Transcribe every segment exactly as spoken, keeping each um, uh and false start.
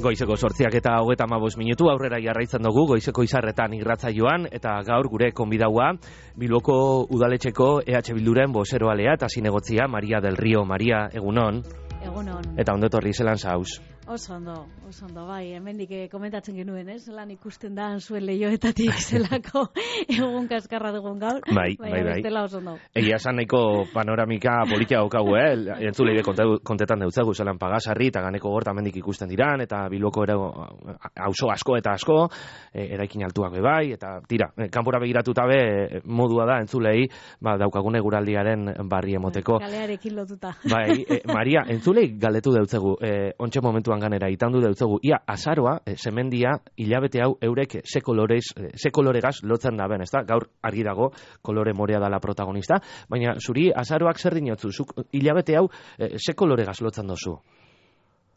Goizeko sortziak eta hogeta hamabost minutu aurrera jarraitzen dugu goizeko izarretan irratsaioan eta gaur gure konbidaua Bilboko udaletxeko E H Bilduren bozeroalea eta zinegotzia Maria del Río. Maria, egunon. Egunon. Eta ondo etorri zelan zauz. Oso ondo, oso ondo, bai, hemendik komentatzen genuen, ez? Zelan ikusten da zuen leioetatik zelako egun kaskarra dugun gaur. Bai, bai, bai. Bestela oso ondo. Egia esan nahiko panoramika politia daukagu, eh? Entzulei kontetan deutzagu zelan Pagasarri eta Ganeko Gorta hemendik ikusten diran, eta Bilboko ere auzo asko eta asko, e, eraikin altuak be bai, eta tira, kanpora begiratuta be modua da entzulei, ba, daukagune guraldiaren barri emoteko. Kalearekin lotuta. Bai, e, Maria, entzulei galdetu deutzegu, e, ontxe momentuan ganera itandu deutzegu, ia azaroa, e, semendia, hilabete hau eurek ze kolorez, ze koloregaz lotzen da ben, ezta? Gaur argi dago, kolore morea dala protagonista, baina zuri azaroak zer dinotzu, zuk hilabete hau e, ze koloregaz lotzen dozu?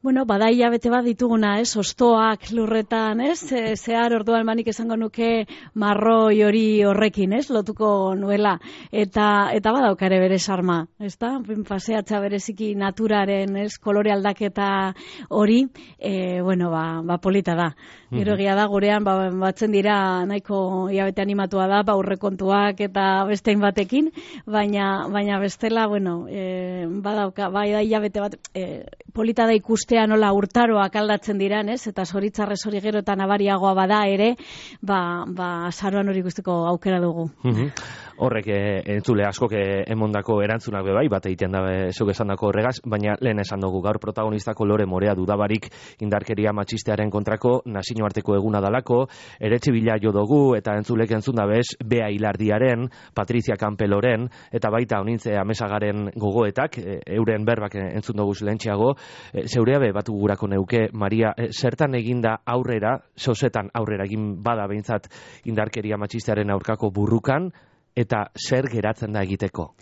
Bueno, bada hilabete bat dituguna, ez, ostoak lurretan, ez, e, zehar orduan manik esango nuke marroi hori horrekin, ez, lotuko nuela, eta eta badaukare bere sarma, ez da, paseatza bereziki naturaren, ez, kolore aldaketa hori, e, bueno, ba, ba polita da. Gero egia da, gurean, ba, batzen dira nahiko hilabete animatua da, ba, aurrekontuak eta bestein batekin, baina, baina bestela, bueno, e, badauka, bai da hilabete bat, e, polita da ikustea nola urtaroak aldatzen diran, ez? Eta zoritzarrez hori gero eta nabariagoa bada ere, ba, ba azaroan hori ikusteko aukera dugu. Horrek e, entzule askok emondako erantzunak be bai, bat egiten da zuk esandako horregaz, baina lehen esan dugu gaur protagonistako Lore Morea dudabarik indarkeria matxistearen kontrako nazioarteko eguna dalako, eretxe bila jo dugu eta entzulek entzun da bez, Bea Hilardiaren, Patrizia Kanpeloren, eta baita honintze amesagaren gogoetak, e, euren berbak entzun dugu lehentxeago, e, zeurea be batu gurako neuke, Maria, e, zertan eginda aurrera, zozetan aurrera egin bada behintzat indarkeria matxistearen aurkako burrukan, eta zer geratzen da egiteko?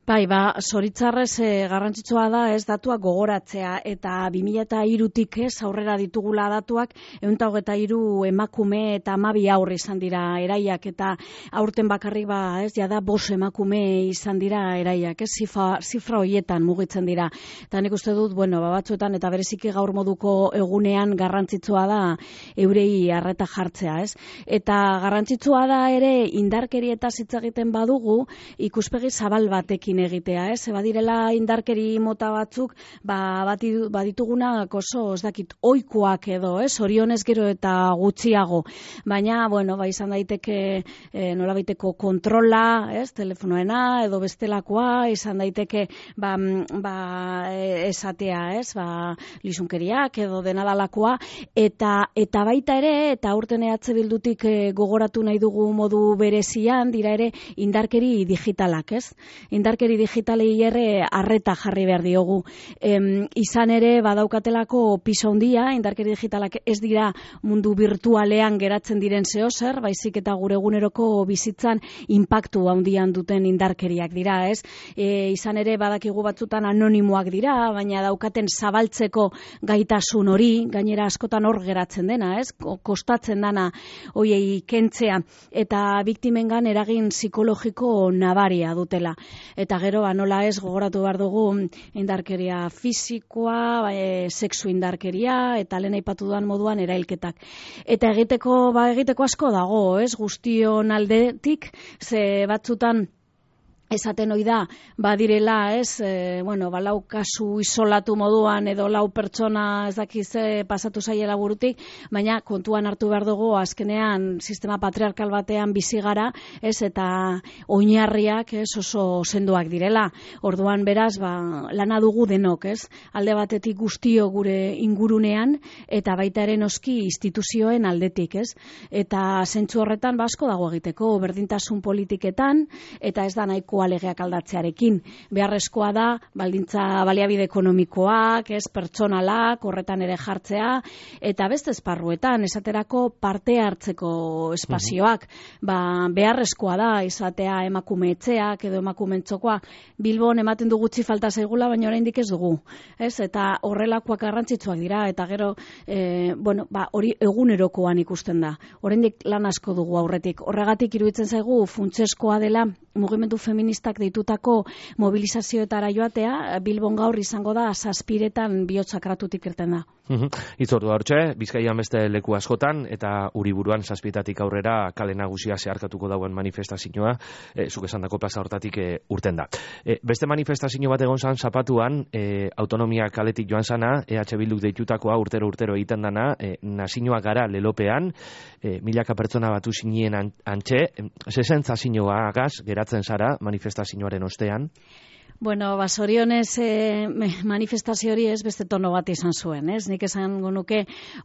Bai, ba, zoritzarrez e, garrantzitsua da ez datuak gogoratzea eta bi mila hirutik ez aurrera ditugula datuak ehun eta hogeita hiru emakume eta hamabi haur izan dira eraiak eta aurten bakarrik ba ez jada bost emakume izan dira eraiak, ez zifra, zifra hoietan mugitzen dira. Eta nik uste dut, bueno, ba, batzuetan eta bereziki gaur moduko egunean garrantzitsua da eurei arreta jartzea, ez? Eta garrantzitsua da ere indarkerietaz hitz egiten badugu ikuspegi zabal batekin egitea, ez? Badirela indarkeri mota batzuk, ba badituguna oso ez dakit ohikoak edo, ez? Orionez gero eta gutxiago. Baina, bueno, ba izan daiteke e, nolabaiteko kontrola, ez? Telefonoena edo bestelakoa, izan daiteke ba, ba esatea, ez? Ba lizunkeriak edo denadalakoa eta eta baita ere eta aurten E H Bildutik e, gogoratu nahi dugu modu berezian dira ere indarkeri digitalak, ez? Indarkeri digitalei ere arreta jarri behar diogu. Em, izan ere badaukatelako piso handia, indarkeri digitalak ez dira mundu virtualean geratzen diren zeozer, baizik eta gure eguneroko bizitzan inpaktu handian duten indarkeriak dira, ez? E, izan ere badakigu batzutan anonimoak dira, baina daukaten zabaltzeko gaitasun hori, gainera askotan hor geratzen dena, ez? Kostatzen dana hoiei kentzea eta biktimengan eragin psikologiko nabaria dutela. Eta gero, ba, nola ez gogoratu behar dugu indarkeria fisikoa, e, sexu indarkeria, eta lehen aipatu duan moduan erailketak. Eta egiteko, ba, egiteko asko dago, ez, guztion aldetik, ze batzutan esaten ohi da, badirela, ez, e, bueno, ba, lau kasu isolatu moduan edo lau pertsona ez dakize pasatu zaiela burutik, baina kontuan hartu behar dugu azkenean sistema patriarkal batean bizi gara, ez, eta oinarriak, ez, oso sendoak direla. Orduan beraz, ba, lana dugu denok, ez, alde batetik guztio gure ingurunean eta baita ere noski instituzioen aldetik, ez, eta zentzu horretan ba, asko dago egiteko, berdintasun politiketan, eta ez da nahiko legeak aldatzearekin. Beharrezkoa da, baldintza baliabide ekonomikoak, ez, pertsonalak, horretan ere jartzea, eta beste esparruetan, esaterako parte hartzeko espazioak. Ba, beharrezkoa da, izatea emakume etxeak edo emakume txokoa. Bilbon ematen du gutxi falta zaigula, baina oraindik ez dugu. Ez? Eta horrelakoak garrantzitsuak dira, eta gero, e, bueno, ba, hori egunerokoan ikusten da. Oraindik lan asko dugu aurretik. Horregatik iruditzen zaigu funtsezkoa dela mugimendu feminista feministak deitutako mobilizazioetara joatea, Bilbon gaur izango da zazpiretan bihotzakratutik irten da. Itzordu hortxe, Bizkaian beste leku askotan, eta Uriburuan zazpietatik aurrera kale nagusia zeharkatuko dauen manifestazioa, e, zuk esandako plaza hortatik e, urten da. E, beste manifestazio bat egon zan Zapatuan, e, autonomia kaletik joan zana, E H Bilduk deitutakoa urtero urtero egiten dana, e, nazinoa gara lelopean, e, milaka pertsona batu zinien antxe, zezentza zinoa agaz, geratzen zara manifestazioaren ostean? Bueno, basorionez eh, manifestazio hori ez beste tono bat izan zuen, ez? Nik esan nuke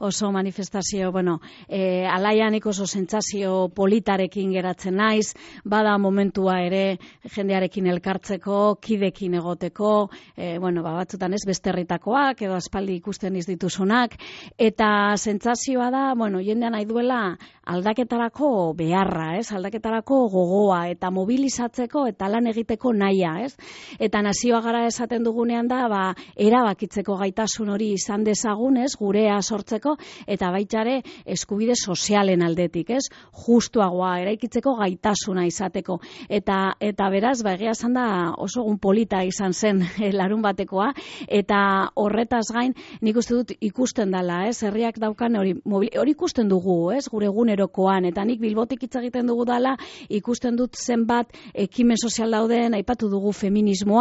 oso manifestazio, bueno, eh, alaianik oso sentsazio politarekin geratzen naiz, bada momentua ere jendearekin elkartzeko, kidekin egoteko, eh, bueno, ba, batzutan ez beste herritakoak edo aspaldi ikusten ez dituzunak, eta sentsazioa da, bueno, jendean nahi duela aldaketarako beharra, ez? Aldaketarako gogoa eta mobilizatzeko eta lan egiteko nahia, ez? Eta nazioa gara esaten dugunean da, ba, erabakitzeko gaitasun hori izan dezagun, ez, gurea sortzeko, eta baitare eskubide sozialen aldetik, ez, justuagoa, eraikitzeko gaitasuna izateko. Eta, eta beraz, ba, egia esan da oso egun polita izan zen larun batekoa, eta horretaz gain, nik uste dut ikusten dela, ez, herriak daukan hori, hori ikusten dugu, ez, gure egunerokoan, eta nik Bilbotik hitz egiten dugu dela, ikusten dut zenbat ekimen sozial dauden, aipatu dugu feminismo,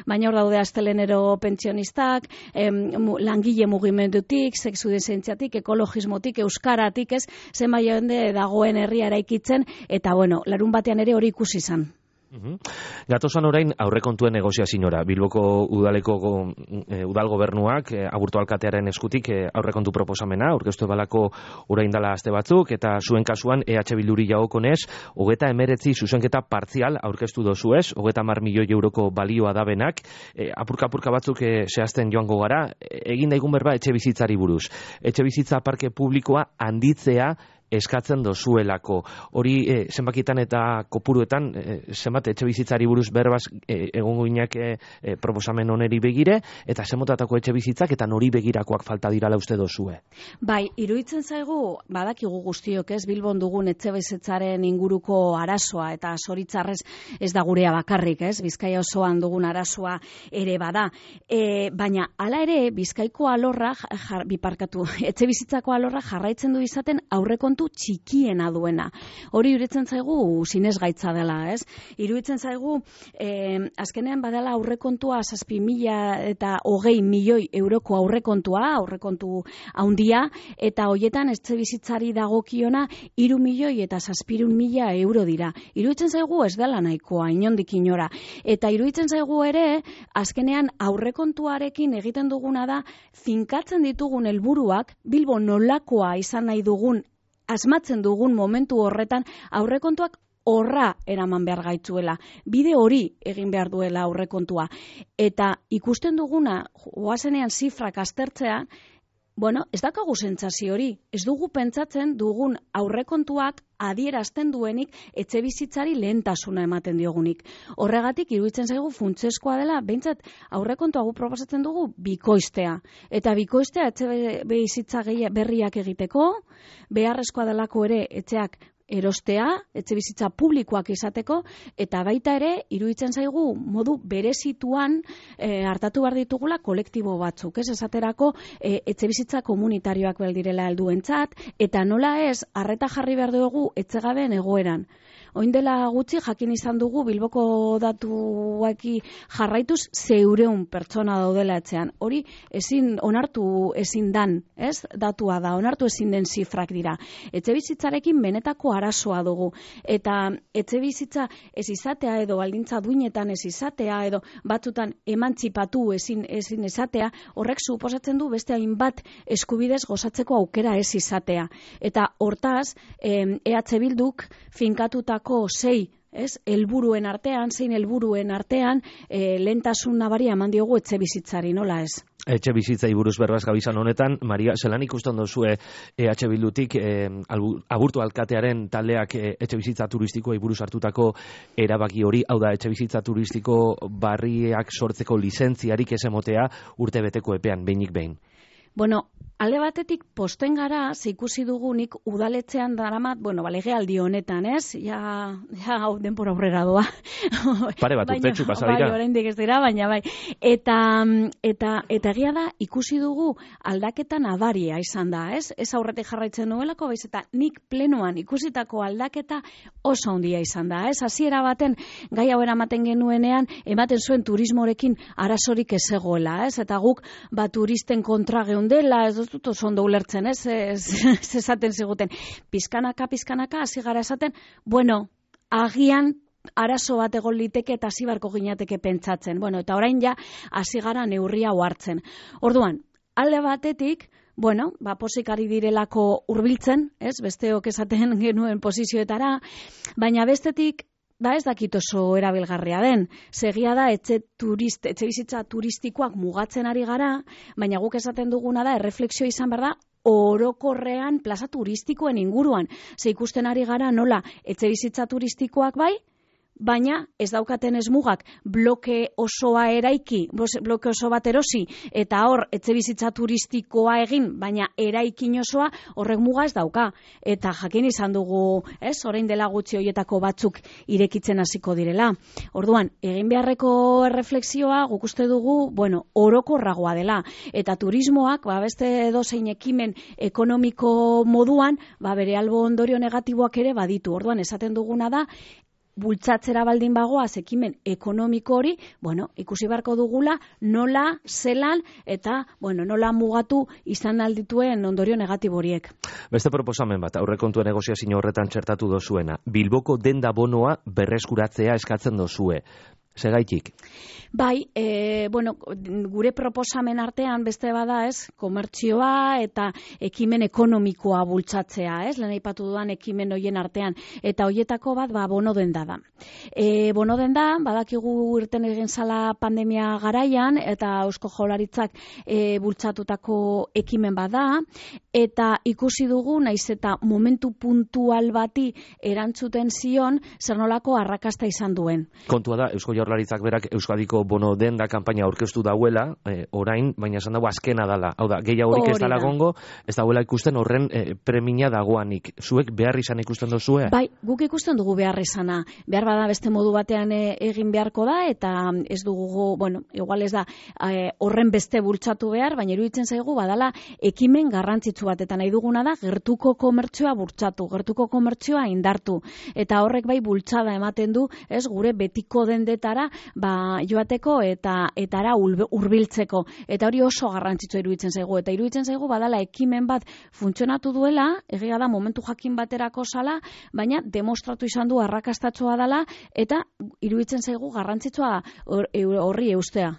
baina hor daude astelenero pentsionistak, em, langile mugimendutik, sexu desentziatik, ekologismotik, euskaratik, ez, zenbait jende dagoen herria eraikitzen, eta bueno, larun batean ere hori ikusi izan. Uhum. Gatozan orain aurrekontuen negoziaziora. Bilboko udaleko e, udal gobernuak e, Aburto alkatearen eskutik e, aurrekontu proposamena aurkeztu balako orain dala aste batzuk, eta zuen kasuan E H Bilduri jagokonez hogeita hemeretzi zuzenketa partzial aurkeztu dozuez, hogeita hamar milioi euroko balioa dabenak, e, apurka-apurka batzuk e, zehazten joango gara, e, egin daigun berba etxe bizitzari buruz. Etxe bizitza parke publikoa handitzea eskatzen dozuelako. Hori e, zenbakitan eta kopuruetan e, zenbat etxe bizitzari buruz berbaz e, egongo inak e, e, proposamen oneri begire, eta zenbotatako etxe bizitzak eta nori begirakoak falta dirala uste dozue. Bai, iruditzen zaigu, badakigu guztiok, ez, Bilbon dugun etxe bizitzaren inguruko arazoa, eta zoritzarrez ez da gurea bakarrik, ez, Bizkaia osoan dugun arazoa ere bada. E, baina, hala ere, Bizkaiko alorra, jar, biparkatu, etxe bizitzako alorra jarraitzen du izaten aurrekontu txikiena duena. Hori iruditzen zaigu sinesgaitza dela, ez? Iruditzen zaigu eh, azkenean badala aurrekontua zazpi mila eta hogei milioi euroko aurrekontua, aurrekontu handia, eta hoietan etxe bizitzari dagokiona hiru milioi eta zazpirun mila euro dira. Iruditzen zaigu ez dela nahikoa, inondik inora. Eta iruditzen zaigu ere, azkenean aurrekontuarekin egiten duguna da, finkatzen ditugun helburuak Bilbo nolakoa izan nahi dugun asmatzen dugun momentu horretan aurrekontuak horra eraman behar gaitzuela. Bide hori egin behar duela aurrekontua. Eta ikusten duguna, goazenean zifrak aztertzea, bueno, ez dakagu sentsazio hori. Ez dugu pentsatzen dugun aurrekontuak adierazten duenik etxe bizitzari lehentasuna ematen diogunik. Horregatik iruditzen zaigu funtsezkoa dela, behintzat aurrekontua gu proposatzen dugu bikoiztea. Eta bikoiztea etxe bizitza berriak egiteko, beharrezkoa delako ere etxeak erostea, etxe bizitza publikoak izateko, eta baita ere, iruditzen zaigu, modu berezituan e, hartatu behar ditugula kolektibo batzuk, ez esaterako e, etxe bizitza komunitarioak beldirela helduentzat, eta nola ez, arreta jarri behar dugu etxegabeen egoeran. Oin dela gutxi jakin izan dugu Bilboko datuaki jarraituz zeureun pertsona daudela etxean. Hori ezin onartu ezin dan, ez? Datua da, onartu ezin den zifrak dira. Etxe bizitzarekin benetako arazoa dugu. Eta etxe bizitza ez izatea edo baldintza duinetan ez izatea edo batzutan emantzipatu ezin ezin izatea, horrek suposatzen du beste hainbat eskubidez gozatzeko aukera ez izatea. Eta hortaz, E H Bilduk finkatuta sei, ez, helburuen artean, zein helburuen artean, e, lehentasun nabaria eman diogu etxe bizitzari, nola ez? Etxe bizitzai buruz berbaz gabizan honetan, Maria, zelan ikusten dozue E H Bildutik e, Aburto alkatearen taldeak e, etxe bizitza turistikoa buruz hartutako erabaki hori, hau da, etxe bizitza turistiko barriak sortzeko lizentziarik ez emotea urte beteko epean, behinik behin. Bueno, alde batetik posten gara, ze ikusi dugunik udaletzean daramat, bueno, ba, legealdi honetan, ez? Ja, ja, hau denpora aurrera doa. Pare bat urtetxu pasa dira. Bai, oraindik ez dira, baina bai. Eta, eta, eta egia da, ikusi dugu aldaketa nabaria izan da, ez? Ez aurretik jarraitzen duelako, baiz eta nik plenoan ikusitako aldaketa oso handia izan da, ez? Hasiera baten, gai hau eramaten genuenean, ematen zuen turismorekin arazorik ez zegoela, ez? Eta guk, ba, turisten kontra geundela, ez dut oso ondo ulertzen, ez? Ez esaten ziguten. Pizkanaka, pizkanaka, hasi gara esaten, bueno, agian arazo bat egon liteke eta hasi barko ginateke pentsatzen. Bueno, eta orain ja, hasi gara neurria hartzen. Orduan, alde batetik, bueno, ba, posik ari direlako hurbiltzen, ez? Besteok esaten genuen posizioetara, baina bestetik, ba ez dakit oso erabilgarria den. Segia da, etxe, turist, etxe bizitza turistikoak mugatzen ari gara, baina guk esaten duguna da, erreflexio izan behar da, orokorrean plaza turistikoen inguruan. Ze ikusten ari gara nola etxe bizitza turistikoak bai, baina ez daukaten ez mugak bloke osoa eraiki, bloke oso bat erosi, eta hor etxe bizitza turistikoa egin, baina eraikin osoa horrek muga ez dauka. Eta jakin izan dugu, ez, orain dela gutxi hoietako batzuk irekitzen hasiko direla. Orduan, egin beharreko erreflexioa guk uste dugu, bueno, orokorragoa dela. Eta turismoak, ba, beste edozein ekimen ekonomiko moduan, ba, bere albo ondorio negatiboak ere baditu. Orduan, esaten duguna da, bultzatzera baldin bagoaz ekimen ekonomiko hori, bueno, ikusi beharko dugula nola, zelan, eta, bueno, nola mugatu izan aldituen ondorio negatibo horiek. Beste proposamen bat, aurrekontua negoziazio horretan txertatu dozuena. Bilboko denda bonoa berreskuratzea eskatzen dozue. Segaitik? Bai, e, bueno, gure proposamen artean beste bada, ez, komertzioa eta ekimen ekonomikoa bultzatzea, ez, lehen aipatu dudan ekimen hoien artean, eta hoietako bat, ba, bono denda da. E, bono denda, badakigu irten egin zala pandemia garaian, eta Eusko Jaurlaritzak e, bultzatutako ekimen bada, eta ikusi dugu, naiz eta momentu puntual bati erantzuten zion, zer nolako arrakasta izan duen. Kontua da, Eusko Jaurlaritzak berak Euskadiko bono denda kanpaina aurkeztu dauela, eh, orain, baina esan dago azkena dala. Hau da, gehiagorik ez dala gongo, ez dauela ikusten horren eh, premia dagoanik. Zuek behar izan ikusten dozue? Bai, guk ikusten dugu behar izana. Behar bada beste modu batean e, egin beharko da, eta ez dugu, bueno, igual ez da, e, horren beste bultzatu behar, baina iruditzen zaigu badala ekimen garrantzitsu bat, eta nahi duguna da gertuko komertzioa bultzatu, gertuko komertzioa indartu. Eta horrek bai bultzada ematen du, ez, gure betiko dendetara, ba, joateko eta etara hurbiltzeko. Eta hori oso garrantzitsua iruditzen zaigu. Eta iruditzen zaigu badala ekimen bat funtzionatu duela, egia da momentu jakin baterako zala, baina demostratu izan du arrakastatxoa dela, eta iruditzen zaigu garrantzitsua horri eustea.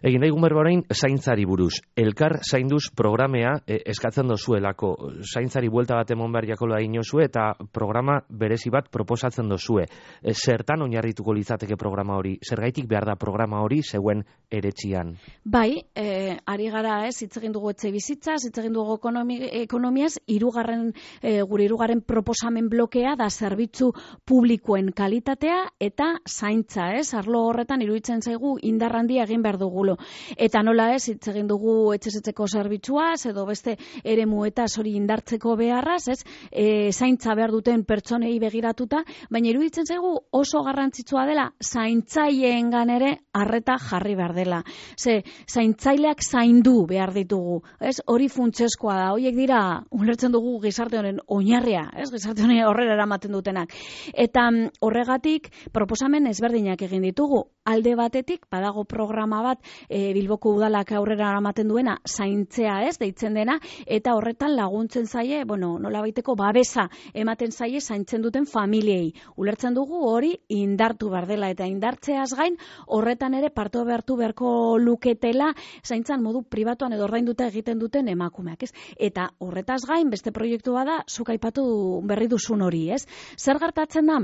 Egin daigun berba orain, zaintzari buruz. Elkar zainduz programea e, eskatzen dozuelako. Zaintzari buelta bat emon behar jakola inozue eta programa berezi bat proposatzen dozue. E, zertan oinarrituko litzateke programa hori? Zergaitik behar da programa hori zeuen eretxian? Bai, e, ari gara ez, hitz egin dugu etxe bizitzaz, hitz egin dugu ekonomi, ekonomiaz, irugarren, e, gure irugarren proposamen blokea da zerbitzu publikoen kalitatea eta zaintza, ez? Arlo horretan iruditzen zaigu indarrandia egin behar dugulo. Eta nola ez, hitz egin dugu etxezetzeko zerbitzuaz, edo beste eremuetaz hori indartzeko beharraz, ez, e, zaintza behar duten pertsonei begiratuta, baina iruditzen zaigu oso garrantzitsua dela zaintzaileen ere arreta jarri behar dela. Ze, zaintzaileak zaindu behar ditugu, ez, hori funtsezkoa da, horiek dira, ulertzen dugu gizarte honen oinarria, ez, gizarte honen horrela eramaten dutenak. Eta horregatik, proposamen ezberdinak egin ditugu, alde batetik, badago programa bat, e, Bilboko udalak aurrera eramaten duena, zaintzea ez, deitzen dena, eta horretan laguntzen zaie, bueno, nola baiteko babesa ematen zaie zaintzen duten familiei. Ulertzen dugu hori indartu behar dela, eta indartzeaz gain, horretan ere parto behartu beharko luketela, zaintzan modu pribatuan edo ordainduta egiten duten emakumeak, ez? Eta horretaz gain, beste proiektu bada, zuk aipatu berri duzun hori, ez? Zer gertatzen da?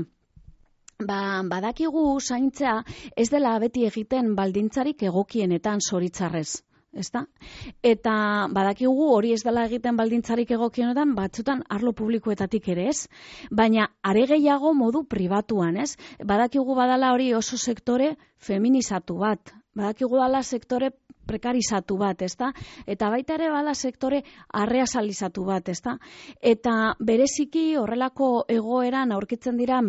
Ba, badakigu zaintzea ez dela beti egiten baldintzarik egokienetan zoritzarrez. Ezta? Eta badakigu hori ez dela egiten baldintzarik egokienetan batzutan arlo publikoetatik ere ez, baina are gehiago modu pribatuan, ez? Badakigu badala hori oso sektore feminizatu bat, badakigu dala sektore prekarizatu bat, ezta? Eta baita ere bada sektore arreazalizatu bat, ezta? Eta bereziki horrelako egoeran aurkitzen dira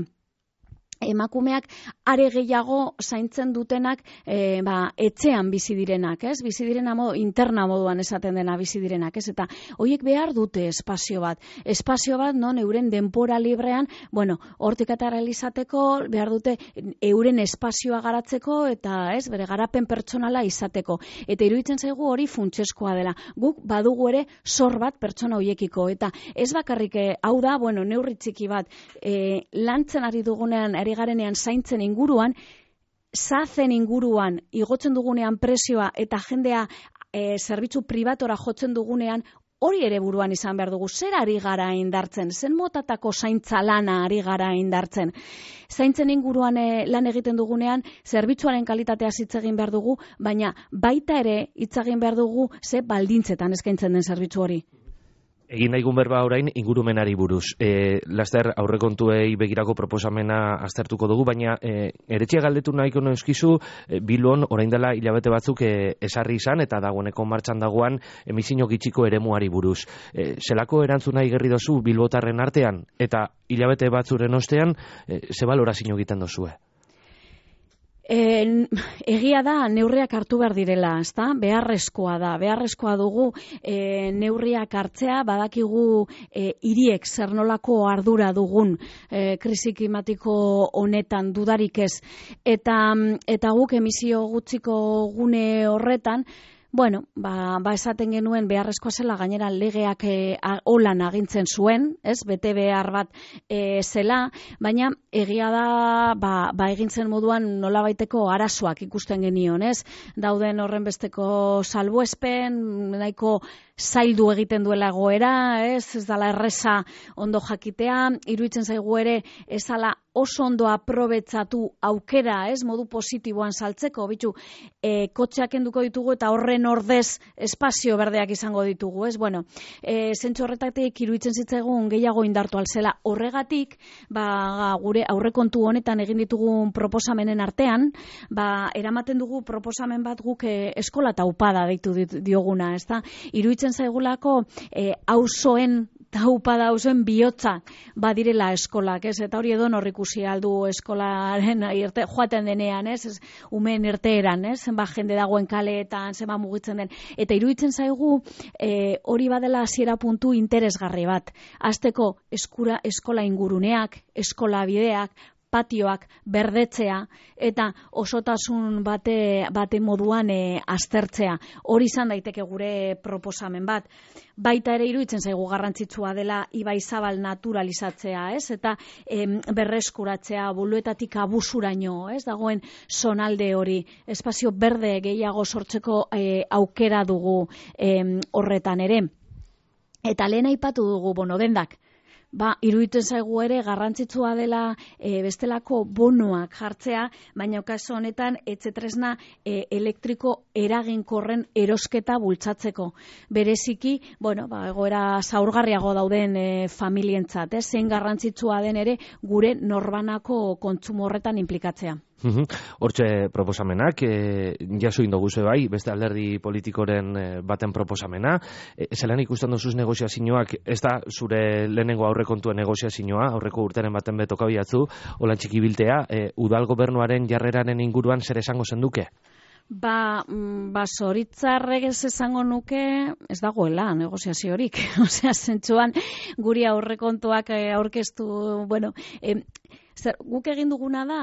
emakumeak are gehiago zaintzen dutenak e, ba, etxean bizi direnak, ez? Bizi direna modu, interna moduan esaten dena bizi direnak, ez? Eta horiek behar dute espazio bat. Espazio bat, non, euren denpora librean, bueno, hortik atera izateko, behar dute euren espazioa garatzeko eta, ez, bere garapen pertsonala izateko. Eta iruditzen zaigu hori funtseskoa dela. Guk badugu ere zor bat pertsona horiekiko. Eta ez bakarrik, hau da, bueno, neurri txiki bat, e, lantzen ari dugunean, ari garenean zaintzen inguruan, zazen inguruan, igotzen dugunean prezioa eta jendea e, zerbitzu pribatora jotzen dugunean, hori ere buruan izan behar dugu. Zer ari gara indartzen? Zen motatako zaintza lana ari gara indartzen? Zaintzen inguruan e, lan egiten dugunean, zerbitzuaren kalitatea hitz egin behar dugu, baina baita ere hitz egin behar dugu ze baldintzetan eskaintzen den zerbitzu hori. Egin daigun berba orain ingurumenari buruz. E, laster aurrekontuei begirako proposamena aztertuko dugu, baina e, eretxea galdetu nahiko noizkizu, e, Bilbon orain dela hilabete batzuk e, esarri izan eta dagoeneko martxan dagoan emisio gitxiko eremuari buruz. E, zelako erantzuna igerri dozu bilbotarren artean eta hilabete batzuren ostean, e, ze balorazio egiten dozue? E, egia da neurriak hartu behar direla, ezta? Beharrezkoa da, beharrezkoa dugu e, neurriak hartzea, badakigu e, hiriek zer nolako ardura dugun e, krisi klimatiko honetan dudarik ez. Eta, eta guk emisio gutxiko gune horretan, bueno, ba, ba esaten genuen beharrezkoa zela, gainera legeak e, holan agintzen zuen, ez, bete behar bat e, zela, baina egia da, ba, ba egintzen moduan nolabaiteko arazoak ikusten genion, ez, dauden horren besteko salbuespen, nahiko zaildu egiten duela egoera, ez, ez dala erreza ondo jakitea, iruditzen zaigu ere ez dala oso ondo aprobetxatu aukera, ez, modu positiboan saltzeko, bitu, e, kotxeak enduko ditugu eta horren ordez espazio berdeak izango ditugu, ez, bueno, e, zentzu horretatik iruditzen zitzaigun gehiago indartu alzela. Horregatik, ba, gure aurrekontu honetan egin ditugun proposamenen artean, ba, eramaten dugu proposamen bat guk e, eskola taupada deitu dioguna, ez da, iruditzen zaigulako e, auzoen taupada auzoen bihotza badirela eskolak, ez? Eta hori edo nor ikusi aldu eskolaren irte, joaten denean, ez? Ez umeen irteeran, ez? Zenba jende dagoen kaleetan, zenba mugitzen den. Eta iruditzen zaigu e, hori badela hasiera puntu interesgarri bat. Hasteko eskura eskola inguruneak, eskola bideak, patioak berdetzea eta osotasun bate, bate moduan e, aztertzea. Hori izan daiteke gure proposamen bat. Baita ere iruditzen zaigu garrantzitsua dela ibai zabal naturalizatzea, ez? Eta em, berreskuratzea buluetatik abusuraino, ez? Dagoen zonalde hori, espazio berde gehiago sortzeko e, aukera dugu em, horretan ere. Eta lehen aipatu dugu bonodendak. Ba, iruditzen zaigu ere garrantzitsua dela e, bestelako bonoak jartzea, baina kasu honetan etxetresna e, elektriko eraginkorren erosketa bultzatzeko. Bereziki, bueno, ba, egoera zaurgarriago dauden e, familientzat, eh? Zein garrantzitsua den ere gure norbanako kontsumo horretan inplikatzea. Hortxe proposamenak, e, jaso indoguze bai, beste alderdi politikoren e, baten proposamena. E, zelan ikusten duzuz negoziazioak, ez da zure lehenengo aurrekontuen negoziazioa, aurreko urteren baten betoka biatzu, holan txiki biltea, e, udal gobernuaren jarreraren inguruan zer esango zenduke? Ba, ba zoritzarrek ez esango nuke ez dagoela negoziaziorik. Osea, zentsuan guri aurrekontuak aurkeztu, bueno, eh, zer, guk egin duguna da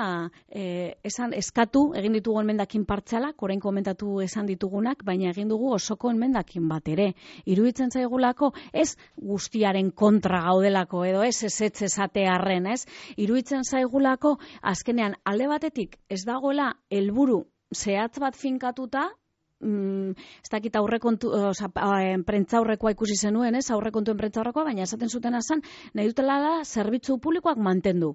eh, esan eskatu, egin ditugu enmendakin partzialak, orain komentatu esan ditugunak, baina egin dugu osoko enmendakin bat ere. Iruditzen zaigulako ez guztiaren kontra gaudelako edo ez ez ez esatearren, ez? Iruditzen zaigulako azkenean alde batetik ez dagoela helburu zehatz bat finkatuta, mm, ez dakit aurrekontu, oza, prentza aurrekoa ikusi zenuen, ez, aurrekontuen prentza aurrekoa, baina esaten zuten azan, nahi dutela da zerbitzu publikoak mantendu.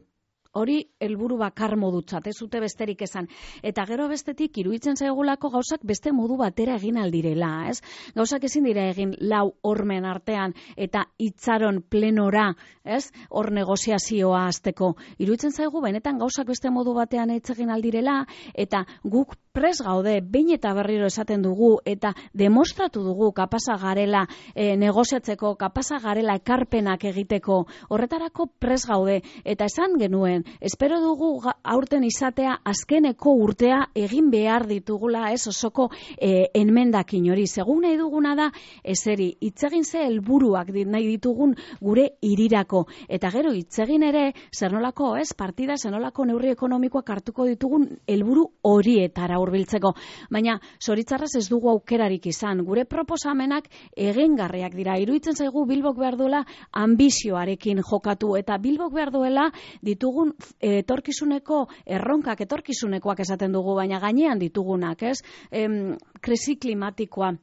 Hori helburu bakar modutzat, ez zute besterik esan. Eta gero bestetik iruditzen zaigulako gauzak beste modu batera egin aldirela, ez? Gauzak ezin dira egin lau hormen artean eta itxaron plenora, ez? Hor negoziazioa hasteko. Iruditzen zaigu benetan gauzak beste modu batean ez egin aldirela eta guk pres gaude, behin eta berriro esaten dugu, eta demostratu dugu kapasa garela e, negoziatzeko, kapasa garela ekarpenak egiteko, horretarako pres gaude, eta esan genuen, espero dugu aurten izatea azkeneko urtea egin behar ditugula, ez osoko e, enmendakin hori, segun nahi duguna da, eseri, itzegin ze helburuak nahi ditugun gure irirako, eta gero itzegin ere, zer nolako, ez, partida, zer nolako neurri ekonomikoak hartuko ditugun helburu horietara hurbiltzeko. Baina, zoritzarrez ez dugu aukerarik izan. Gure proposamenak egingarriak dira. Iruditzen zaigu Bilbok behar duela ambizioarekin jokatu eta Bilbok behar duela ditugun etorkizuneko erronkak, etorkizunekoak esaten dugu, baina gainean ditugunak, ez? Em, krisi klimatikoa,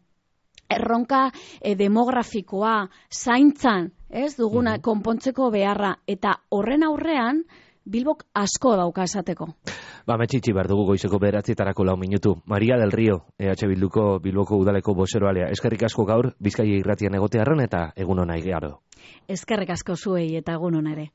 erronka e, demografikoa, zaintzan, ez? Duguna konpontzeko beharra eta horren aurrean Bilbok asko dauka esateko. Ba, metxitxi behar dugu goizeko bederatzietarako lau minutu. Maria del Rio, E H Bilduko Bilboko udaleko bozeroalea. Eskerrik asko gaur, Bizkaia irratian egotearren eta egun ona igaro. Eskerrik asko zuei eta egun ona ere.